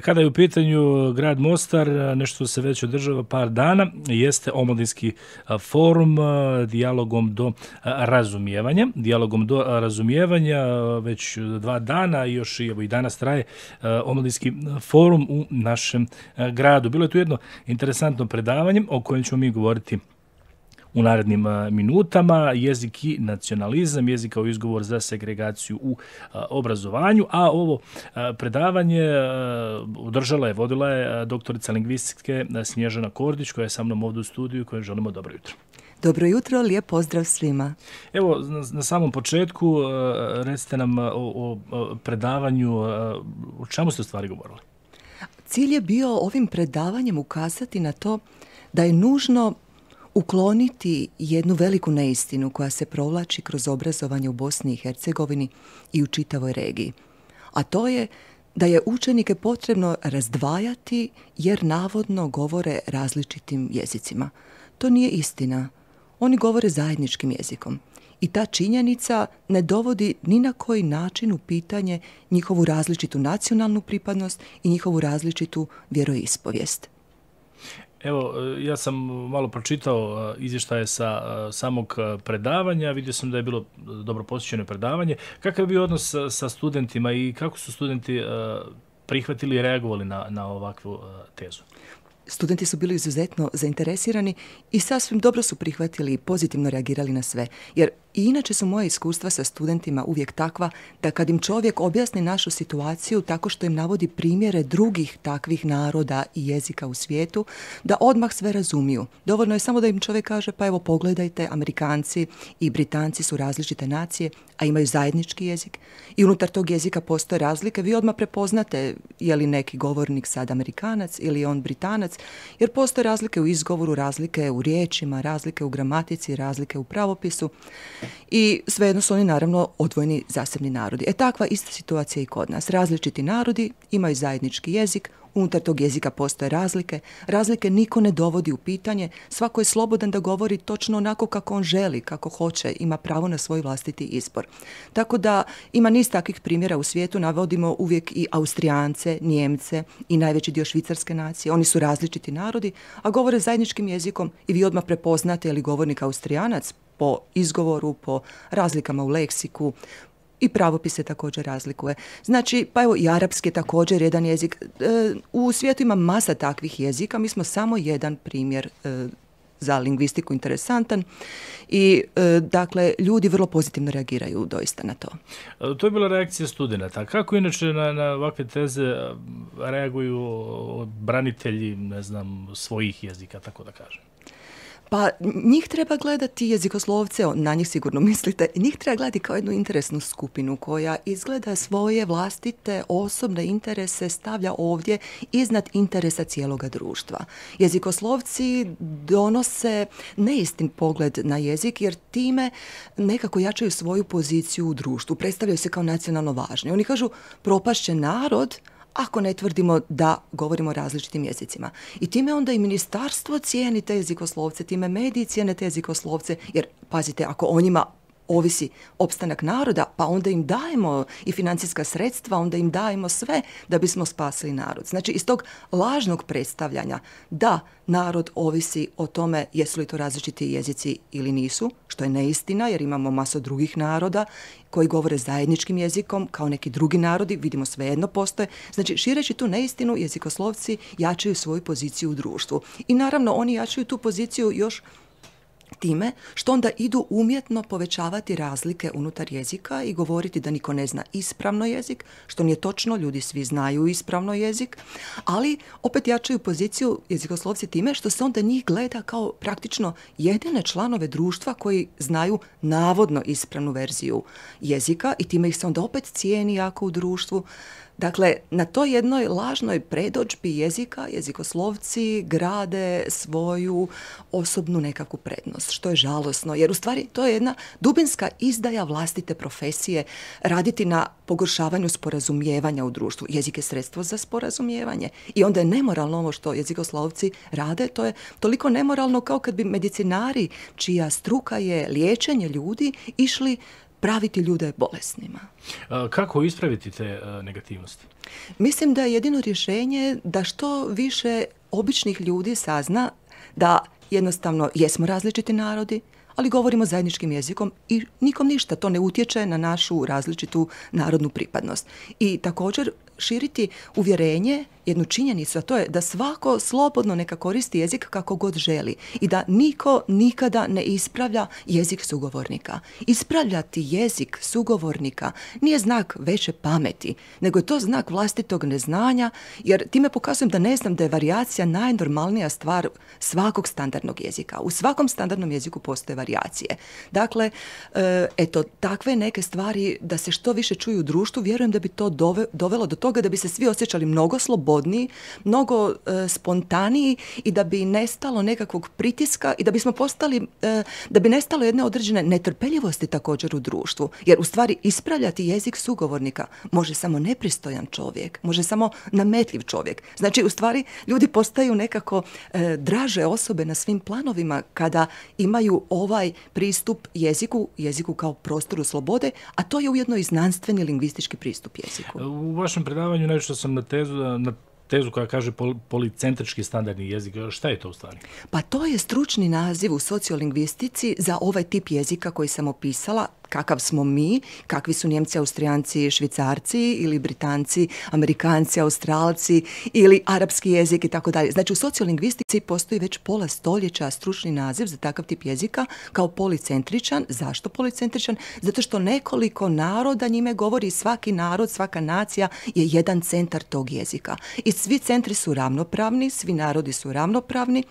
Kada je u pitanju grad Mostar, nešto se već održava par dana, jeste omladinski forum dijalogom do razumijevanja. Dijalogom do razumijevanja već 2 dana i još i danas traje omladinski forum u našem gradu. Bilo je tu jedno interesantno predavanje o kojem ćemo mi govoriti u narednim minutama. Jezik i nacionalizam, jezik kao izgovor za segregaciju u obrazovanju, a ovo predavanje vodila je doktorica lingvistike Snježana Kordić, koja je sa mnom ovdje u studiju i kojoj želimo dobro jutro. Dobro jutro, lijep pozdrav svima. Evo, na samom početku recite nam o predavanju, o čemu ste u stvari govorili? Cilj je bio ovim predavanjem ukazati na to da je nužno ukloniti jednu veliku neistinu koja se provlači kroz obrazovanje u Bosni i Hercegovini i u čitavoj regiji. A to je da je učenike potrebno razdvajati jer navodno govore različitim jezicima. To nije istina. Oni govore zajedničkim jezikom. I ta činjenica ne dovodi ni na koji način u pitanje njihovu različitu nacionalnu pripadnost i njihovu različitu vjeroispovijest. Evo, ja sam malo pročitao izvještaje sa samog predavanja, vidio sam da je bilo dobro posjećeno predavanje. Kakav je bio odnos sa studentima i kako su studenti prihvatili i reagovali na ovakvu tezu? Studenti su bili izuzetno zainteresirani i sasvim dobro su prihvatili i pozitivno reagirali na sve. Jer i inače su moja iskustva sa studentima uvijek takva da kad im čovjek objasni našu situaciju tako što im navodi primjere drugih takvih naroda i jezika u svijetu, da odmah sve razumiju. Dovoljno je samo da im čovjek kaže pa evo pogledajte, Amerikanci i Britanci su različite nacije, a imaju zajednički jezik i unutar tog jezika postoje razlike. Vi odmah prepoznate je li neki govornik sad Amerikanac ili on Britanac, jer postoje razlike u izgovoru, razlike u riječima, razlike u gramatici, razlike u pravopisu. I svejedno su oni naravno odvojeni zasebni narodi. Takva ista situacija i kod nas. Različiti narodi imaju zajednički jezik, unutar tog jezika postoje razlike. Razlike niko ne dovodi u pitanje, svako je slobodan da govori točno onako kako on želi, kako hoće, ima pravo na svoj vlastiti izbor. Tako da ima niz takvih primjera u svijetu, navodimo uvijek i Austrijance, Njemce i najveći dio švicarske nacije. Oni su različiti narodi, a govore zajedničkim jezikom i vi odmah prepoznate je li govornik Austrijanac po izgovoru, po razlikama u leksiku, i pravopis se također razlikuje. Znači, pa evo i arapski je također jedan jezik. U svijetu ima masa takvih jezika, mi smo samo jedan primjer za lingvistiku interesantan i dakle ljudi vrlo pozitivno reagiraju doista na to. To je bila reakcija studenata. Kako inače na ovakve teze reaguju branitelji, ne znam, svojih jezika, tako da kažem? Pa njih treba gledati, jezikoslovce, na njih sigurno mislite, njih treba gledati kao jednu interesnu skupinu koja izgleda svoje vlastite osobne interese stavlja ovdje iznad interesa cijeloga društva. Jezikoslovci donose neistin pogled na jezik jer time nekako jačaju svoju poziciju u društvu, predstavljaju se kao nacionalno važni. Oni kažu propašće narod ako ne tvrdimo da govorimo različitim jezicima. I time onda i ministarstvo cijeni te jezikoslovce, time mediji cijene te jezikoslovce, jer pazite, ako o njima ovisi opstanak naroda, pa onda im dajemo i financijska sredstva, onda im dajemo sve da bismo spasili narod. Znači, iz tog lažnog predstavljanja da narod ovisi o tome jesu li to različiti jezici ili nisu, što je neistina jer imamo masu drugih naroda koji govore zajedničkim jezikom kao neki drugi narodi, vidimo svejedno postoje. Znači, šireći tu neistinu, jezikoslovci jačaju svoju poziciju u društvu. I naravno, oni jačaju tu poziciju još time što onda idu umjetno povećavati razlike unutar jezika i govoriti da niko ne zna ispravno jezik, što nije točno, ljudi svi znaju ispravno jezik, ali opet jačaju poziciju jezikoslovci time što se onda njih gleda kao praktično jedine članove društva koji znaju navodno ispravnu verziju jezika i time ih se onda opet cijeni jako u društvu. Dakle, na toj jednoj lažnoj predodžbi jezika, jezikoslovci grade svoju osobnu nekakvu prednost, što je žalosno, jer u stvari to je jedna dubinska izdaja vlastite profesije, raditi na pogoršavanju sporazumijevanja u društvu. Jezik je sredstvo za sporazumijevanje i onda je nemoralno ovo što jezikoslovci rade, to je toliko nemoralno kao kad bi medicinari, čija struka je liječenje ljudi, išli praviti ljude bolesnima. Kako ispraviti te negativnosti? Mislim da je jedino rješenje da što više običnih ljudi sazna da jednostavno jesmo različiti narodi, ali govorimo zajedničkim jezikom i nikom ništa, to ne utječe na našu različitu narodnu pripadnost. I također širiti uvjerenje, jednu činjenicu, a to je da svako slobodno neka koristi jezik kako god želi i da niko nikada ne ispravlja jezik sugovornika. Ispravljati jezik sugovornika nije znak veće pameti, nego je to znak vlastitog neznanja, jer time pokazujem da ne znam da je varijacija najnormalnija stvar svakog standardnog jezika. U svakom standardnom jeziku postoje varijacije. Dakle, eto, takve neke stvari da se što više čuju u društvu, vjerujem da bi to dovelo do toga da bi se svi osjećali mnogo slobodniji, mnogo spontaniji i da bi nestalo nekakvog pritiska i da bismo postali, da bi nestalo jedne određene netrpeljivosti također u društvu. Jer u stvari ispravljati jezik sugovornika može samo nepristojan čovjek, može samo nametljiv čovjek. Znači u stvari ljudi postaju nekako draže osobe na svim planovima kada imaju ovaj pristup jeziku kao prostoru slobode, a to je ujedno i znanstveni lingvistički pristup jeziku. U vašem predavanju nešto sam na tezu koja kaže policentrički standardni jezik. Šta je to u stvari? Pa to je stručni naziv u sociolingvistici za ovaj tip jezika koji sam opisala, kakav smo mi, kakvi su Njemci, Austrijanci, Švicarci ili Britanci, Amerikanci, Australci ili arapski jezik i tako dalje. Znači u sociolingvistici postoji već pola stoljeća stručni naziv za takav tip jezika kao policentričan. Zašto policentričan? Zato što nekoliko naroda njime govori, svaki narod, svaka nacija je jedan centar tog jezika. I svi centri su ravnopravni, svi narodi su ravnopravni,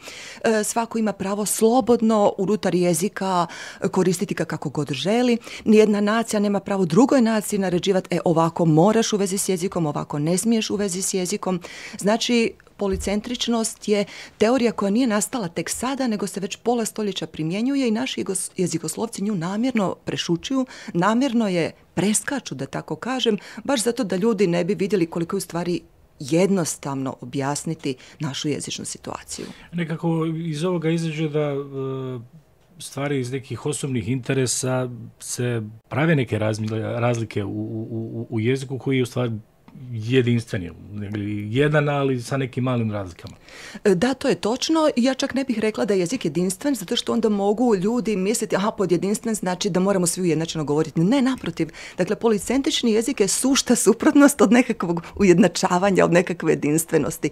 svako ima pravo slobodno unutar jezika koristiti ga kako god želi. Nijedna nacija nema pravo drugoj naciji naređivati ovako moraš u vezi s jezikom, ovako ne smiješ u vezi s jezikom. Znači, policentričnost je teorija koja nije nastala tek sada, nego se već pola stoljeća primjenjuje i naši jezikoslovci nju namjerno prešućuju, namjerno je preskaču, da tako kažem, baš zato da ljudi ne bi vidjeli koliko je u stvari jednostavno objasniti našu jezičnu situaciju. Nekako iz ovoga izađe da stvari iz nekih osobnih interesa se prave neke razlike u jeziku koji je u stvari jedinstven, jedan, ali sa nekim malim razlikama. Da, to je točno. Ja čak ne bih rekla da je jezik jedinstven, zato što onda mogu ljudi misliti, pod jedinstven znači da moramo svi ujednačeno govoriti. Ne, naprotiv. Dakle, policentrični jezik je sušta suprotnost od nekakvog ujednačavanja, od nekakve jedinstvenosti.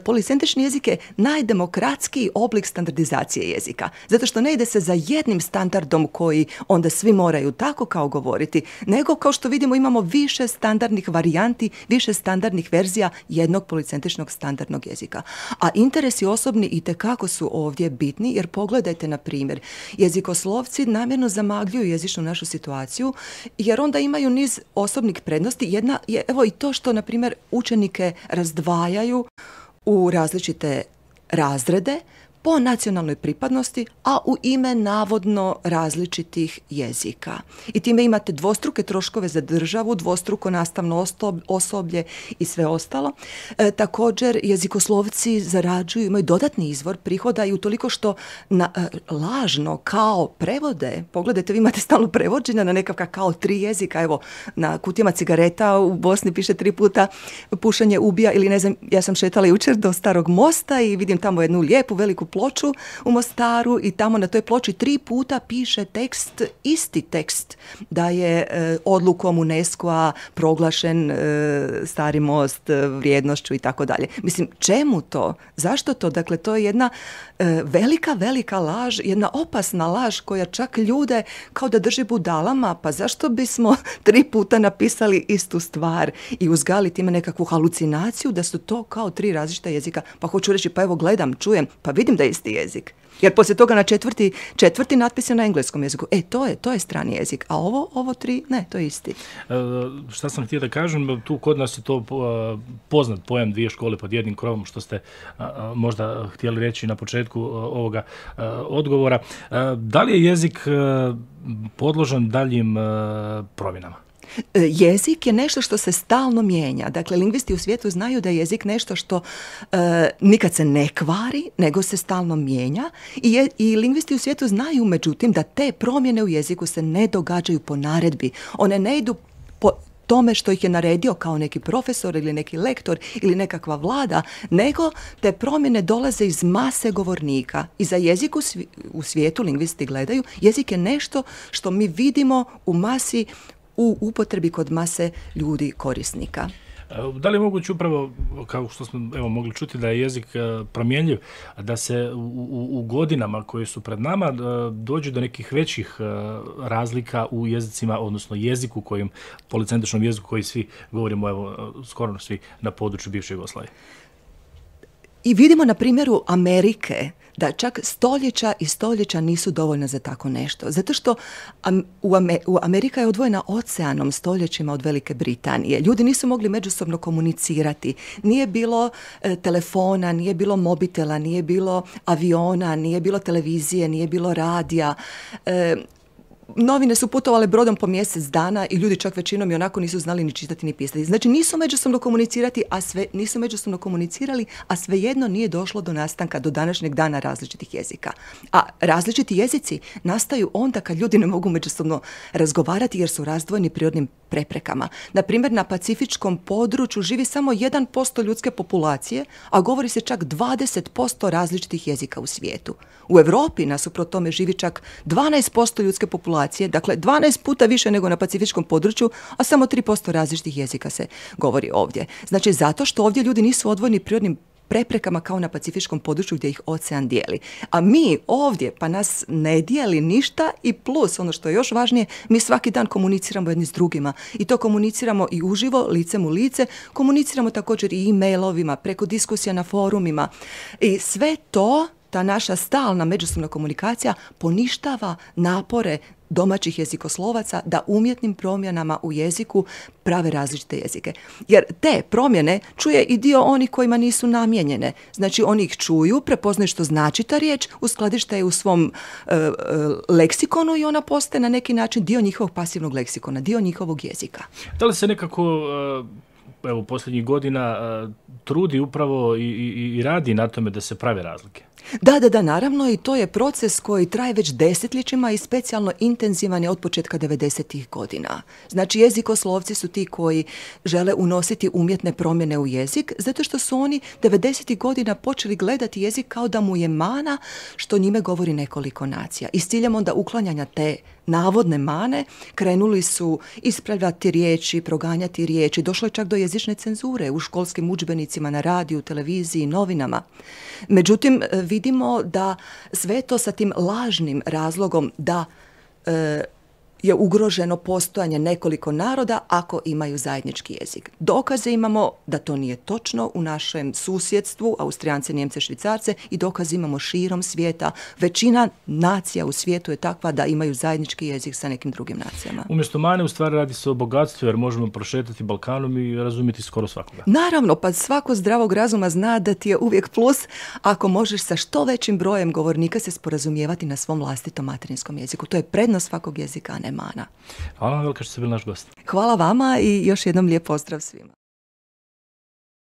Policentrični jezik je najdemokratskiji oblik standardizacije jezika, zato što ne ide se za jednim standardom koji onda svi moraju tako kao govoriti, nego kao što vidimo imamo više standardnih varijanti, više standardnih verzija jednog policentričnog standardnog jezika. A interesi osobni itekako su ovdje bitni, jer pogledajte, na primjer, jezikoslovci namjerno zamagljuju jezičnu našu situaciju, jer onda imaju niz osobnih prednosti. Jedna je, evo, i to što, na primjer, učenike razdvajaju u različite razrede po nacionalnoj pripadnosti, a u ime navodno različitih jezika. I time imate dvostruke troškove za državu, dvostruko nastavno osoblje i sve ostalo. Također, jezikoslovci zarađuju, imaju dodatni izvor prihoda i utoliko što lažno kao prevode, pogledajte, vi imate stalno prevođenja na nekakva kao 3 jezika, evo, na kutijama cigareta u Bosni piše 3 puta pušenje ubija, ili ne znam, ja sam šetala jučer do Starog mosta i vidim tamo jednu lijepu veliku ploču u Mostaru i tamo na toj ploči 3 puta piše tekst, isti tekst, da je odlukom UNESCO-a proglašen Stari most vrijednošću i tako dalje. Mislim, čemu to? Zašto to? Dakle, to je jedna velika laž, jedna opasna laž koja čak ljude kao da drži budalama, pa zašto bismo 3 puta napisali istu stvar i uzgali time nekakvu halucinaciju da su to kao 3 različita jezika, pa hoću reći, pa evo gledam, čujem, pa vidim da je isti jezik. Jer poslije toga na četvrti natpis je na engleskom jeziku. To je strani jezik, a ovo 3, ne, to je isti. Šta sam htio da kažem, tu kod nas je to poznat pojam 2 škole pod jednim krovom, što ste možda htjeli reći na početku ovoga odgovora. Da li je jezik podložan daljim promjenama? Jezik je nešto što se stalno mijenja. Dakle, lingvisti u svijetu znaju da je jezik nešto što nikad se ne kvari, nego se stalno mijenja. I lingvisti u svijetu znaju, međutim, da te promjene u jeziku se ne događaju po naredbi. One ne idu po tome što ih je naredio kao neki profesor ili neki lektor ili nekakva vlada, nego te promjene dolaze iz mase govornika. I za jezik u svijetu, lingvisti gledaju, jezik je nešto što mi vidimo u masi, u upotrebi kod mase ljudi korisnika. Da li je moguće upravo, kao što smo mogli čuti, da je jezik promjenjiv, da se u godinama koje su pred nama dođe do nekih većih razlika u jezicima, odnosno jeziku kojim, policentričnom jeziku koji svi govorimo, skoro svi na području bivše Jugoslavije? I vidimo na primjeru Amerike da čak stoljeća i stoljeća nisu dovoljna za tako nešto. Zato što Amerika je odvojena oceanom stoljećima od Velike Britanije. Ljudi nisu mogli međusobno komunicirati. Nije bilo telefona, nije bilo mobitela, nije bilo aviona, nije bilo televizije, nije bilo radija. Novine su putovale brodom po mjesec dana i ljudi čak većinom i onako nisu znali ni čitati ni pisati. Znači nisu međusobno komunicirali, a svejedno nije došlo do nastanka do današnjeg dana različitih jezika. A različiti jezici nastaju onda kad ljudi ne mogu međusobno razgovarati jer su razdvojeni prirodnim preprekama. Na primjer, na pacifičkom području živi samo 1% ljudske populacije, a govori se čak 20% različitih jezika u svijetu. U Europi nasuprot tome živi čak 12% ljudske populacije, dakle 12 puta više nego na pacifičkom području, a samo 3% različitih jezika se govori ovdje. Znači zato što ovdje ljudi nisu odvojeni prirodnim preprekama kao na pacifičkom području gdje ih ocean dijeli. A mi ovdje, pa nas ne dijeli ništa i plus, ono što je još važnije, mi svaki dan komuniciramo jedni s drugima. I to komuniciramo i uživo, licem u lice, komuniciramo također i e-mailovima, preko diskusija na forumima. I sve to, ta naša stalna međusobna komunikacija poništava napore domaćih jezikoslovaca da umjetnim promjenama u jeziku prave različite jezike. Jer te promjene čuje i dio onih kojima nisu namijenjene. Znači oni ih čuju, prepoznaju što znači ta riječ, uskladište je u svom leksikonu i ona postaje na neki način dio njihovog pasivnog leksikona, dio njihovog jezika. Da li se nekako posljednjih godina trudi upravo i radi na tome da se prave razlike? Da, naravno, i to je proces koji traje već desetljećima i specijalno intenzivan je od početka 90-ih godina. Znači, jezikoslovci su ti koji žele unositi umjetne promjene u jezik, zato što su oni 90-ih godina počeli gledati jezik kao da mu je mana što njime govori nekoliko nacija. I s ciljem onda uklanjanja te navodne mane krenuli su ispravljati riječi, proganjati riječi. Došlo je čak do jezične cenzure u školskim udžbenicima, na radiju, televiziji, novinama. Međutim, vidimo da sve to sa tim lažnim razlogom da je ugroženo postojanje nekoliko naroda ako imaju zajednički jezik. Dokaze imamo da to nije točno u našem susjedstvu, Austrijance, Njemce, Švicarce, i dokaze imamo širom svijeta. Većina nacija u svijetu je takva da imaju zajednički jezik sa nekim drugim nacijama. Umjesto mane, u stvari radi se o bogatstvu, jer možemo prošetati Balkanom i razumjeti skoro svakoga. Naravno, pa svako zdravog razuma zna da ti je uvijek plus ako možeš sa što većim brojem govornika se sporazumijevati na svom vlastitom materinskom jeziku. To je prednost svakog jezika, a ne mana. Hvala vam velika što ste bili naš gost. Hvala vama i još jednom lijep pozdrav svima.